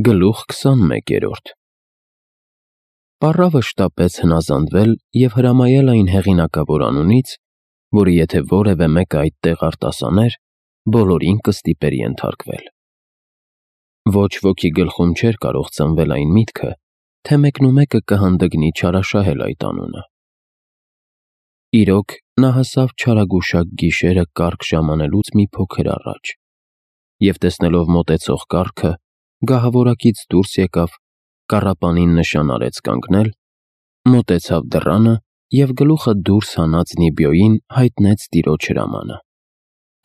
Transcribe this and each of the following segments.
Գլուխ 21 Պառավը շտապեց հնազանդվել և հրամայել այն հեղինակավոր անունից, որը եթե որևէ մեկը այդտեղ արտասաներ, բոլորին կստիպեր ենթարկվել։ Ոչ ոքի գլխում չէր կարող ծնվել այն միտքը, թե մեկնումեկը կհանդգնի չարաշահել այդ անունը։ Իրոք, նա հասավ չարագուշակ գիշերը կառք ժամանելուց մի փոքր առաջ, և տեսնելով մոտեցող կառքը, գահավորակից դուրս եկավ, կառապանին նշան արեց կանգնել, մոտեցավ դռանը և գլուխը դուրս հանած Նիբիոյին հայտնեց տիրոջ հրամանը։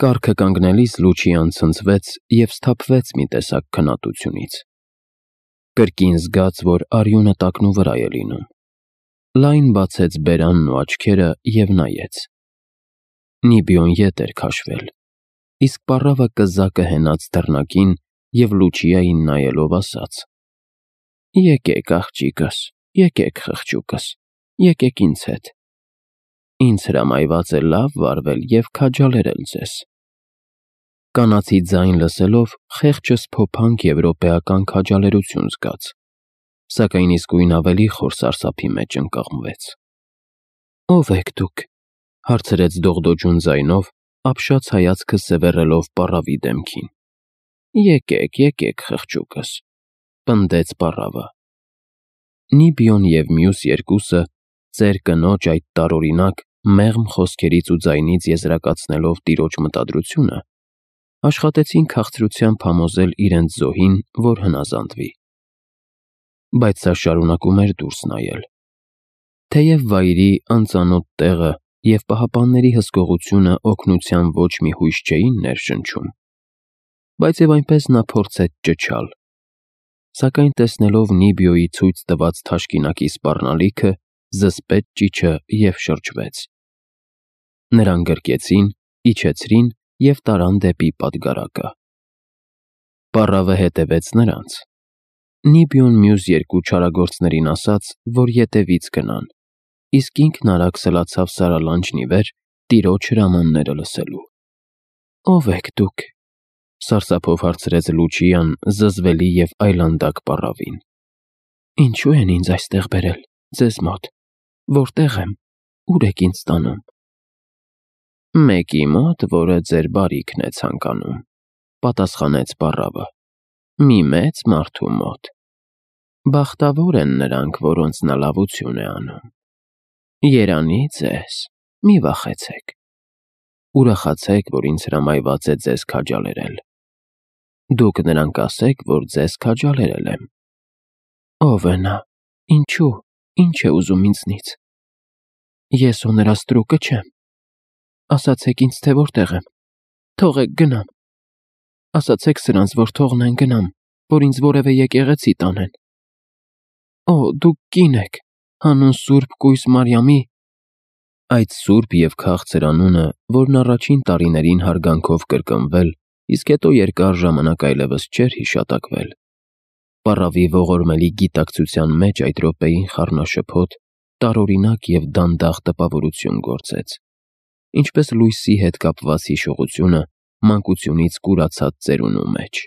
Կառքը կանգնելիս Լուչիան ցնցվեց և սթափվեց մի տեսակ քննատությունից։ Կրկին զգաց, որ արյունը տակնու վրա է լինում։ Լայն բացեց բերանն ու աչքերը և նայեց։ Նիբիոն ետ էր քաշվել, իսկ պառավը կզակը հենած դռնակին և Լուչիային նայելով ասաց. «Եկեք, աղջիկս, եկեք, խղճուկս, եկեք ինձ հետ։ Ինձ հրամայված է լավ վարվել և քաջալերել ձեզ»։ Կանացի ձայն լսելով խեղճս փոփանք եվրոպեական քաջալերություն զգաց, սակայն իսկույն ավելի խոր սարսափի մեջ ընկղմվեց։ «Ո՞վ եք դուք», հարցրեց դողդոջուն ձայնով, ապշած հայացքը սևեռելով պառավի դեմքին։ «Եկեք, եկեք, խղճուկս», պնդեց պառավը։ Նիբիոն և մյուս երկուսը, ծեր կնոջ այդ տարօրինակ, մեղմ խոսքերից ու ձայնից եզրակացնելով տիրոջ մտադրությունը, աշխատեցին քաղցրությամբ համոզել իրենց զոհին, որ հնազանդվի։ Բայց սա շարունակում էր դուրս նայել։ Թեև վայրի, անծանոթ տեղը և պահապանների հսկողությունը օգնության ոչ մի հույս չէին ներշնչում, բայց և այնպես նա փորձեց ճչալ, սակայն տեսնելով Նիբիոյի ցույց տված թաշկինակի սպառնալիքը, զսպեց ճիչը և շրջվեց։ Նրան գրկեցին, իջեցրին և տարան դեպի պատգարակը։ Պառավը հետևեց նրանց։ Նիբիոն մյուս երկու չարագործներին ասաց, որ ետևից գնան, իսկ ինքն արագ սլացավ սարալանջն ի վեր, տիրոջ հրամանները լսելու։ «Ո՞վ եք դուք», սարսափով հարցրեց Լուչիան զզվելի և այլանդակ պառավին։ «Ինչու են ինձ այստեղ բերել, ձեզ մոտ, որտե՞ղ եմ, ուր եք ինձ տանում»։ «Մեկի մոտ, որը ձեր բարիքն է ցանկանում», պատասխանեց պառավը, «մի մեծ մարդու մոտ։ Բախտավոր են նրանք, որոնց նա լավություն է անում։ Երանի ձեզ, մի վախեցեք։ Ուրախացեք, որ ինձ հրամայված է ձեզ քաջալերել։ Դուք նրան կասեք, որ ձեզ քաջալերել եմ»։ «Ո՞վ է նա, ինչու, ինչ է ուզում ինձնից»։ «Ես ու նրա ստրուկը չեմ։ Ասացեք ինձ, թե որտեղ եմ, թողեք գնամ։ Ասացեք սրանց, որ թողնեն գնամ, որ ինձ որևէ եկեղեցի տանեն»։ «Օ, դուք կին եք, հանուն Սուրբ Կույս Մարիամի»։ Այդ սուրբ և քաղցր անունը, որն առաջին տարիներին հարգանքով կրկնվել, իսկ հետո երկար ժամանակ այլևս չէր հիշատակվել, պառավի ողորմելի գիտակցության մեջ այդ րոպեին խառնաշփոթ, տարօրինակ և դանդաղ տպավորություն գործեց, ինչպես լույսի հետ կապված հիշողությունը մանկությունից կուրացած ծերունու մեջ։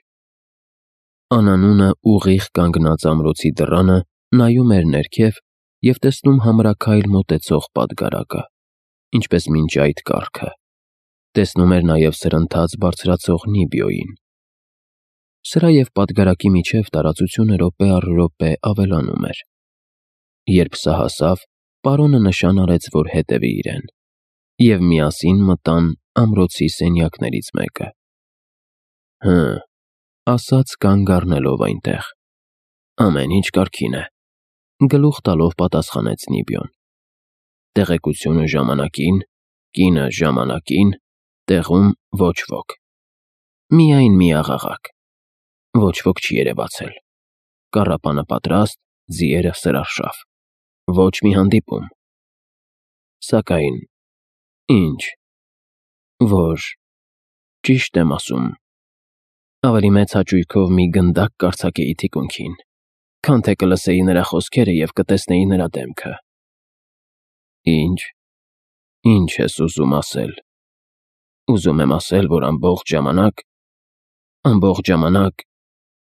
Անանունը ուղիղ կանգնած ամրոցի դռանը նայում էր ներքև և տեսնում համրաքայլ մոտեցող պատգարակը, ինչպես մինչ այդ կառքը, տեսնում էր նաև սրընթաց բարձրացող Նիբիոյին։ Սրա և պատգարակի միջև տարածությունը րոպե առ րոպե ավելանում էր։ Երբ սա հասավ, պարոնը նշան արեց, որ հետևի իրեն, և միասին մտան ամրոցի սենյակներից մեկը։ «Հը», ասաց կանգ առնելով այնտեղ։ «Ամեն ինչ կարգին է», գլուխ տալով պատասխանեց Նիբիոն։ «Տեղեկությունը ժամանակին, կինը ժամանակին, տեղում ոչ ոք։ Միայն մի աղաղակ։ Ոչ ոք չի երևացել։ Կառապանը պատրաստ, ձիերը սրարշավ։ Ոչ մի հանդիպում։ Սակայն… Ինչ… Որ… Ճիշտ եմ ասում, ավելի մեծ հաճույքով մի գնդակ կարձակեի թիկունքին, քան թե կլսեի նրա խոսքերը և կտեսնեի նրա դեմքը»։ «Ինչ… Ինչ ես ուզում ասել»։ «Ուզում եմ ասել, որ ամբողջ ժամանակ…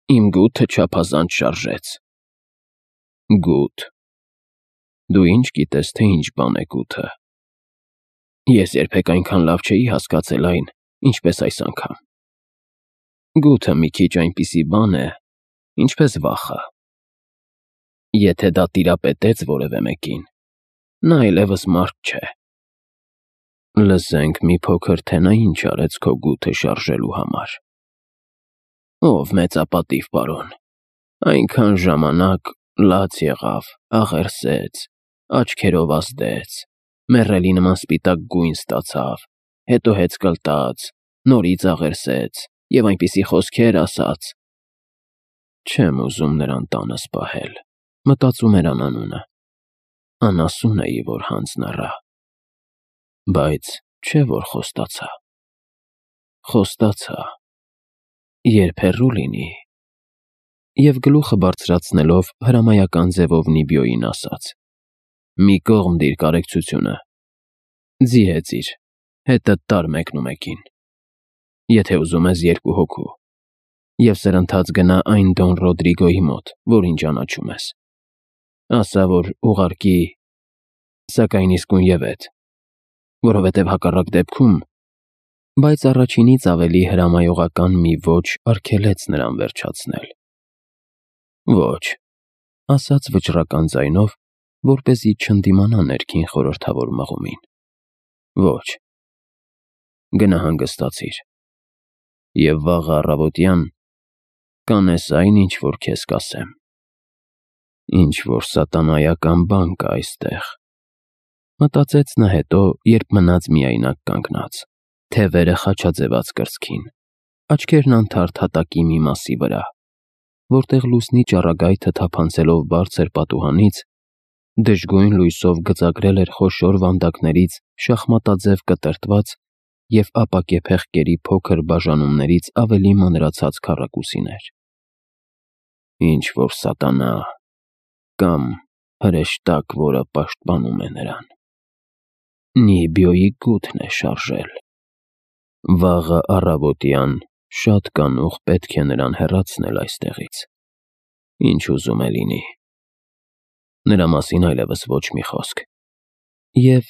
Իմ գութը չափազանց շարժեց։ Գութ։ Դու ինչ գիտես, թե ինչ բան է գութը։ Ես երբեք այնքան լավ չէի հասկացել այն, ինչպես այս անգամ։ Գութը մի քիչ այնպիսի բան է, ինչպես վախը։ Եթե դա տիրապետեց որևէ մեկին, նա այլևս մարդ չէ։ Լսենք մի փոքր, թե նա ինչ արեց քո գութը շարժելու համար։ Ով մեծապատիվ պարոն, այնքան ժամանակ լաց եղավ, աղերսեց, աչքերով ազդեց, մեռելի նման սպիտակ գույն ստացավ, հետո հեծ կլտած, նորից աղերսեց և այնպիսի խոսքեր ասաց։ Չեմ ուզում նրան տանս պահել, մտածում էր անանունը, անասուն էի, որ հանձն առա, բայց չէ որ խոստացա։ Խոստացա, երբ հեռու լինի, և գլուխը բարձրացնելով հրամայական ձևով Նիբիոյին ասաց. մի կողմ դիր կարեկցությունը, ձի հեծիր, հետդ տար մեկնումեկին, եթե ուզում ես 2 հոգու, և սրընթաց գնա այն Դոն Ռոդրիգոյի մոտ, որին ճանաչում ես, ասա, որ ուղարկի, սակայն իսկույնևեթ, որովհետև հակառակ դեպքում, բայց առաջինից ավելի հրամայողական մի ոչ արգելեց նրան վերջացնել։ Ոչ, ասաց վճռական ձայնով, որպեսզի չընդդիմանա ներքին խորհրդավոր մղումին։ Ոչ, գնա հանգստացիր, և վաղը առավոտյան կանես այն, ինչ որ քեզ կասեմ։ Ինչ որ սատանայական բան կա այստեղ, մտածեց նա հետո, երբ մնաց միայնակ կանգնած, թևերը խաչաձևած կրծքին, աչքերն անթարթ հատակի մի մասի վրա, որտեղ լուսնի ճառագայթը թափանցելով բարձր պատուհանից, դժգույն լույսով գծագրել էր խոշոր վանդակներից շախմատաձև կտրտված և ապակե փեղկերի փոքր բաժանումներից ավելի մանրացած քառակուսիներ։ Ինչ որ սատանա կամ հրեշտակ, որը պաշտպանում է նրան։ Նիբիոյի գութն է շարժել։ Վաղը առավոտյան շատ կանուխ պետք է նրան հեռացնել այստեղից։ Ինչ ուզում է լինի։ Նրա մասին այլևս ոչ մի խոսք։ Եվ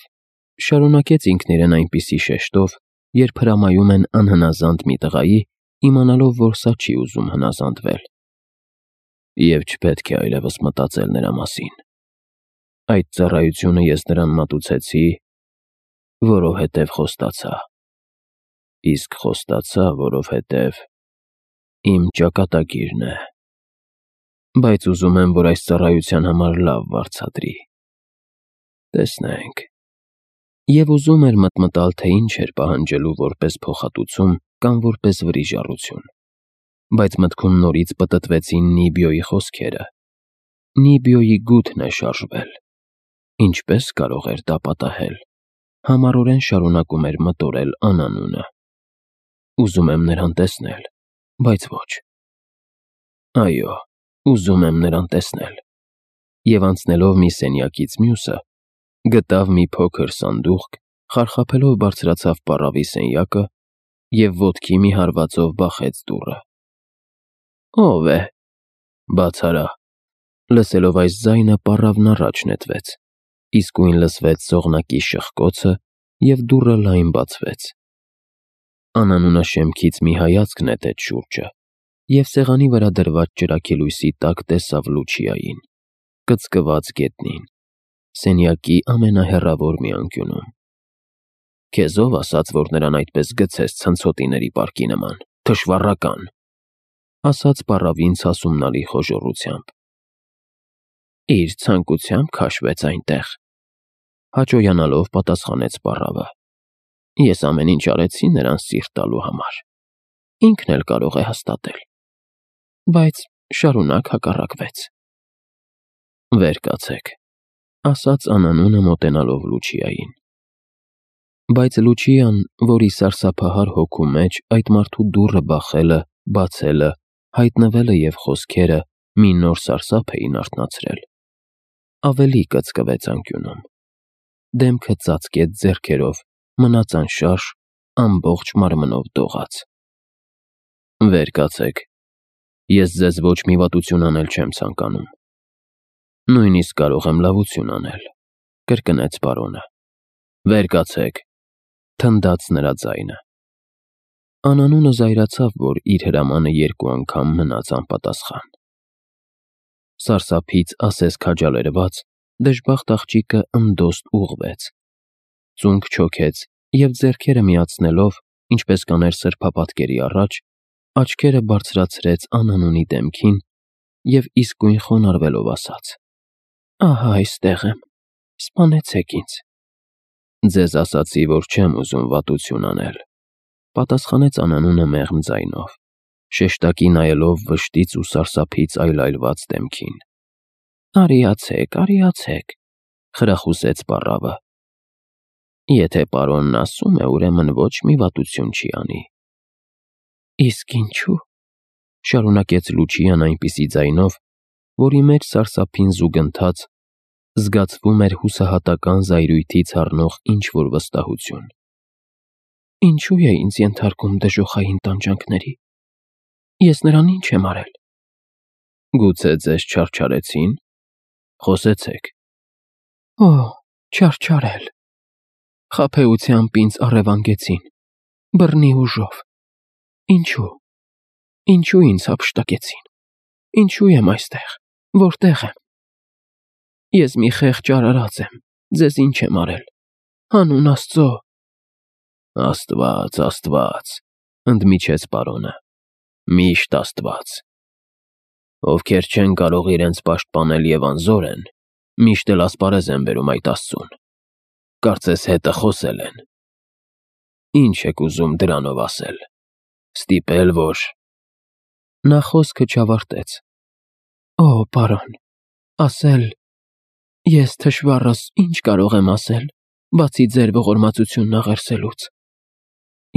շարունակեց ինքն իրեն այնպիսի շեշտով, երբ հրամայում են անհնազանդ մի տղայի, իմանալով, որ սա չի ուզում հնազանդվել։ Եվ չպետք է այլևս մտածել նրա մասին։ Այդ ծառայությունը ես նրան մատուցեցի, որովհետև խոստացա։ Իսկ խոստացա, որովհետև իմ ճակատագիրն է։ Բայց ուզում եմ, որ այս ծառայության համար լավ վարձատրի։ Տեսնենք։ Եվ ուզում էր մտմտալ, թե ինչ էր պահանջելու որպես փոխհատուցում կամ որպես վրիժառություն։ Բայց մտքում նորից պտտվեցին Նիբիոյի խոսքերը։ Նիբիոյի գութն է շարժվել։ Ինչպես կարող էր դա պատահել։ Համառորեն շարունակում էր մտորել անանունը։ Ուզում եմ նրան տեսնել, բայց ոչ։ Այո, ուզում եմ նրան տեսնել։ Եվ անցնելով մի սենյակից մյուսը, գտավ մի փոքր սանդուղք, խարխափելով բարձրացավ պառավի սենյակը և ոտքի մի հարվածով բախեց դուռը։ Ո՞վ է։ Բաց արա։ Լսելով այս ձայնը պառավն առաջ նետվեց, իսկույն լսվեց սողնակի շխկոցը և դուռը լայն բացվեց։ Անանունը շեմքից մի հայացք նետեց շուրջը և սեղանի վրա դրված ճրագի լույսի տակ տեսավ Լուչիային, կծկված գետնին, սենյակի ամենահեռավոր մի անկյունում։ Քեզ ով ասաց, որ նրան այդպես գցես ցնցոտիների պարկի նման, թշվառական, ասաց պառավին սասումնալի խոժոռությամբ։ Իր ցանկությամբ քաշվեց այնտեղ, հաճոյանալով պատասխանեց պառավը։ Ես ամեն ինչ արեցի նրան սիրտ տալու համար։ Ինքն էլ կարող է հաստատել։ Բայց շարունակ հակառակվեց։ Վեր կացեք, ասաց անանունը մոտենալով Լուչիային։ Բայց Լուչիան, որի սարսափահար հոգու մեջ այդ մարդու դուռը բախելը, բացելը, հայտնվելը և խոսքերը մի նոր սարսափ էին արթնացրել, ավելի կծկվեց անկյունում։ Դեմքը ծածկեց ձեռքերով, մնաց անշարժ, ամբողջ մարմնով դողաց։ Վեր կացեք, Ես ձեզ ոչ մի վատություն անել չեմ ցանկանում։ Նույնիսկ կարող եմ լավություն անել, կրկնեց պարոնը։ Վեր կացեք, թնդաց նրա ձայնը։ Անանունը զայրացավ, որ իր հրամանը 2 անգամ մնաց անպատասխան։ Սարսափից ասես քաջալերված, դժբախտ աղջիկը ընդոստ ուղղվեց, ծունկ չոքեց և ձեռքերը միացնելով, ինչպես կաներ սրբապատկերի առաջ, աչքերը բարձրացրեց Անանունի դեմքին և իսկույն խոնարհվելով ասաց. «Ահա այստեղ եմ, սպանեցեք ինձ»։ «Ձեզ ասացի, որ չեմ ուզում վատություն անել», պատասխանեց Անանունը մեղմ ձայնով, շեշտակի նայելով վշտից ու սարսափից այլայլված դեմքին։ Արիացեք, խրախուսեց պառավը։ Եթե պարոնն ասում է, ուրեմն ոչ մի վատություն չի անի։ Իսկ ինչու՞, շարունակեց Լուչիան այնպիսի ձայնով, որի մեջ սարսափին զուգընթաց զգացվում էր հուսահատական զայրույթից առնող ինչ-որ վստահություն։ Ինչու է ինձ ենթարկում դժոխային տանջանքների։ Ես նրան ինչ եմ արել։ Գուցե ձեզ չարչարեցին։ Խոսեցեք։ Օ, չարչարել։ Խաբեությամբ ինձ առևանգեցին, բռնի ուժով։ Ինչու ինձ հափշտակեցին։ Ինչու եմ այստեղ, որտեղ եմ։ Ես մի խեղճ արարած եմ, ձեզ ինչ եմ արել։ Հանուն Աստծո։ Աստված, ընդմիջեց պարոնը։ Միշտ Աստված։ Ովքեր չեն կարող իրենց պաշտպանել և անզոր են, միշտ էլ ասպարեզ են բերում այդ Աստծուն։ Կարծես հետը խոսել են։ Ինչ եք ուզում դրանով ասել։ Ստիպել, որ… Նա խոսքը չավարտեց։ Օ, պարոն, ասել… Ես թշվառս ինչ կարող եմ ասել, բացի ձեր ողորմածությունն աղերսելուց։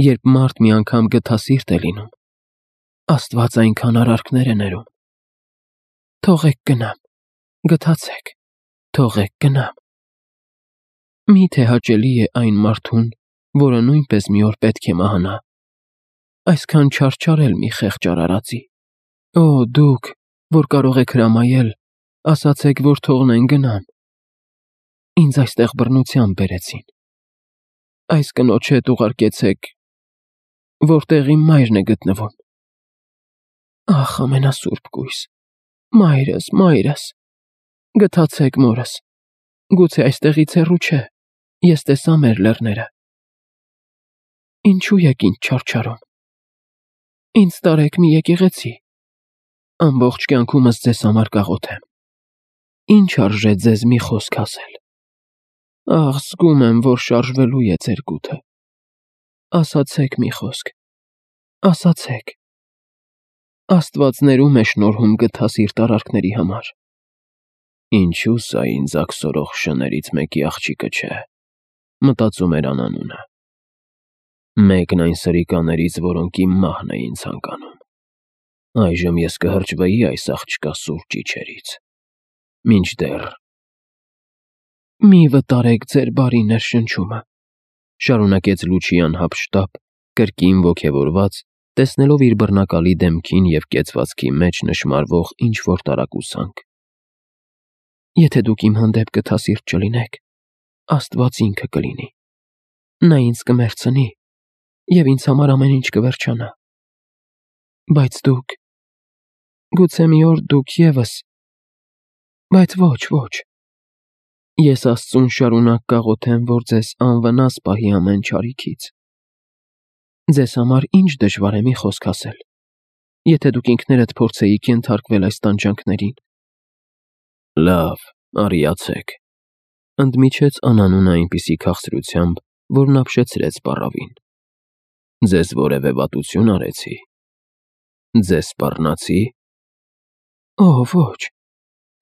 Երբ մարդ մի անգամ գթասիրտ է լինում, Աստված այնքան արարքներ է ներում։ Թողեք գնամ, գթացեք, թողեք գնամ։ Միթե հաճելի է այն մարդուն, որը նույնպես մի օր պետք է մահանա, այսքան չարչարել մի խեղճ արարածի։ Օ, դուք, որ կարող եք հրամայել, ասացեք, որ թողնեն գնամ։ Ինձ այստեղ բռնությամբ բերեցին։ Այս կնոջ հետ ուղարկեցեք, որտեղ իմ մայրն է գտնվում։ Ախ, ամենասուրբ կույս, մայրս, գթացեք մորս, գուցե այստեղից հեռու չէ, ես տեսա մեր լեռները։ Ինչու եք ինձ չարչարում։ Ինձ տարեք մի եկեղեցի, ամբողջ կյանքումս ձեզ համար կաղոթեմ։ Ինչ արժե ձեզ մի խոսք ասել։ Ախ, զգում եմ, որ շարժվելու է ձեր գութը։ Ասացեք մի խոսք, ասացեք։ Աստված ներում է շնորհում գթասիրտ արարքների համար։ Ինչու սա ինձ աքսորող շներից մեկի աղջիկը չէ, մտածում էր Անանունը։ Մեկն այն սրիկաներից, որոնք իմ մահն էին ցանկանում։ Այժմ ես կհրճվեի այս աղջկա սուրճ իջերից։ Մինչդեռ… Մի վտարեք ձեր բարի ներշնչումը, շարունակեց Լուչիան հափշտապ, կրկին ոգևորված, տեսնելով իր բռնակալի դեմքին և կեցվածքի մեջ նշմարվող ինչ-որ տարակուսանք։ Եթե դուք իմ հանդեպ գթասիրտ չլինեք, Աստված ինքը կլինի։ Նա ինձ կմեռցնի, և ինձ համար ամեն ինչ կվերջանա։ Բայց դուք… Գուցե մի օր դուք ևս… Բայց ոչ… Ես Աստծուն շարունակ կաղոթեմ, որ ձեզ անվնաս պահի ամեն չարիքից։ Ձեզ համար ինչ դժվար է մի խոսք ասել, եթե դուք ինքներդ փորձեիք ենթարկվել այս տանջանքներին։ Լավ, արիացեք, ընդմիջեց Անանունը այնպիսի քաղցրությամբ, որ նապշեցրեց պառավին։ Ձեզ որևէ վատություն արեցի։ Ձեզ սպառնացի։ Օ, ոչ,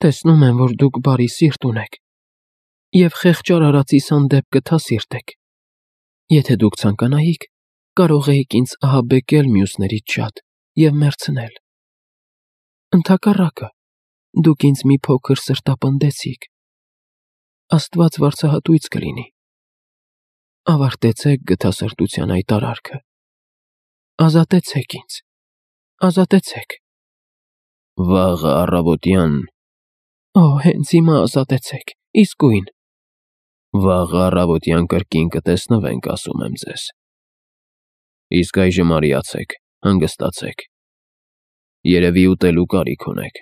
տեսնում եմ, որ դուք բարի սիրտ ունեք և խեղճ արարածիս հանդեպ գթասիրտ եք։ Եթե դուք ցանկանայիք, կարող էիք ինձ ահաբեկել մյուսներից շատ և մեռցնել։ Ընդհակառակը, դուք ինձ մի փոքր սրտապնդեցիք։ Աստված վարձահատույց կլինի։ Ավարտեցեք գթասրտության այդ արարքը։ Ազատեցեք ինձ, ազատեցեք։ Վաղը առավոտյան։ Հենց հիմա ազատեցեք, իսկույն։ Վաղը առավոտյան կրկին կտեսնվենք, ասում եմ ձեզ։ Իսկ այժմ արիացեք, հանգստացեք։ Երևի ուտելու կարիք ունեք։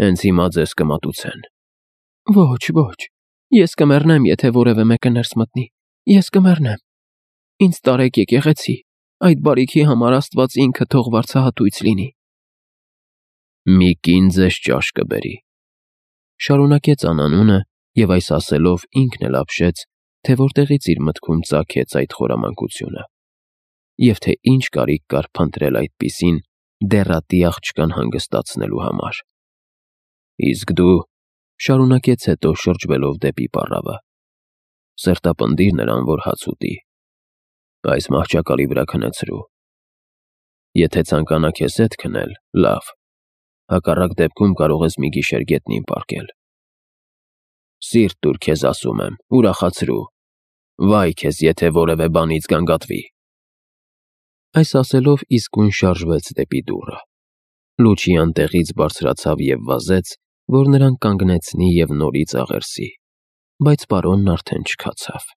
Հենց հիմա ձեզ կմատուցեն։ Ոչ, ես կմեռնեմ, եթե որևէ մեկը ներս մտնի, ես կմեռնեմ։ Ինձ տարեք եկեղեցի, այդ բարիքի համար Աստված ինքը թող վարձահատույց լինի։ Մի կին ձեզ ճաշ կբերի, շարունակեց անանունը, և այս ասելով ինքն էլ ապշեց, թե որտեղից իր մտքում ծագեց այդ խորամանկությունը, և թե ինչ կարիք կար փնտրել այդպիսին դեռատի աղջկան հանգստացնելու համար։ Իսկ դու, շարունակեց հետո շրջվելով դեպի պառավը, սրտապնդիր նրան, որ հաց ուտի, այս մահճակալի վրա քնեցրու։ Եթե ցանկանա քեզ հետ քնել, լավ, հակառակ դեպքում կարող ես մի գիշեր գետնին պառկել։ Սիրտ տուր քեզ, ասում եմ, ուրախացրու, վայ քեզ, եթե որևէ բանից գանգատվի։ Այս ասելով իսկույն շարժվեց դեպի դուռը։ Լուչիան տեղից բարձրացավ և վազեց, որ նրան կանգնեցնի և նորից աղերսի, բայց պարոնն արդեն չքացավ։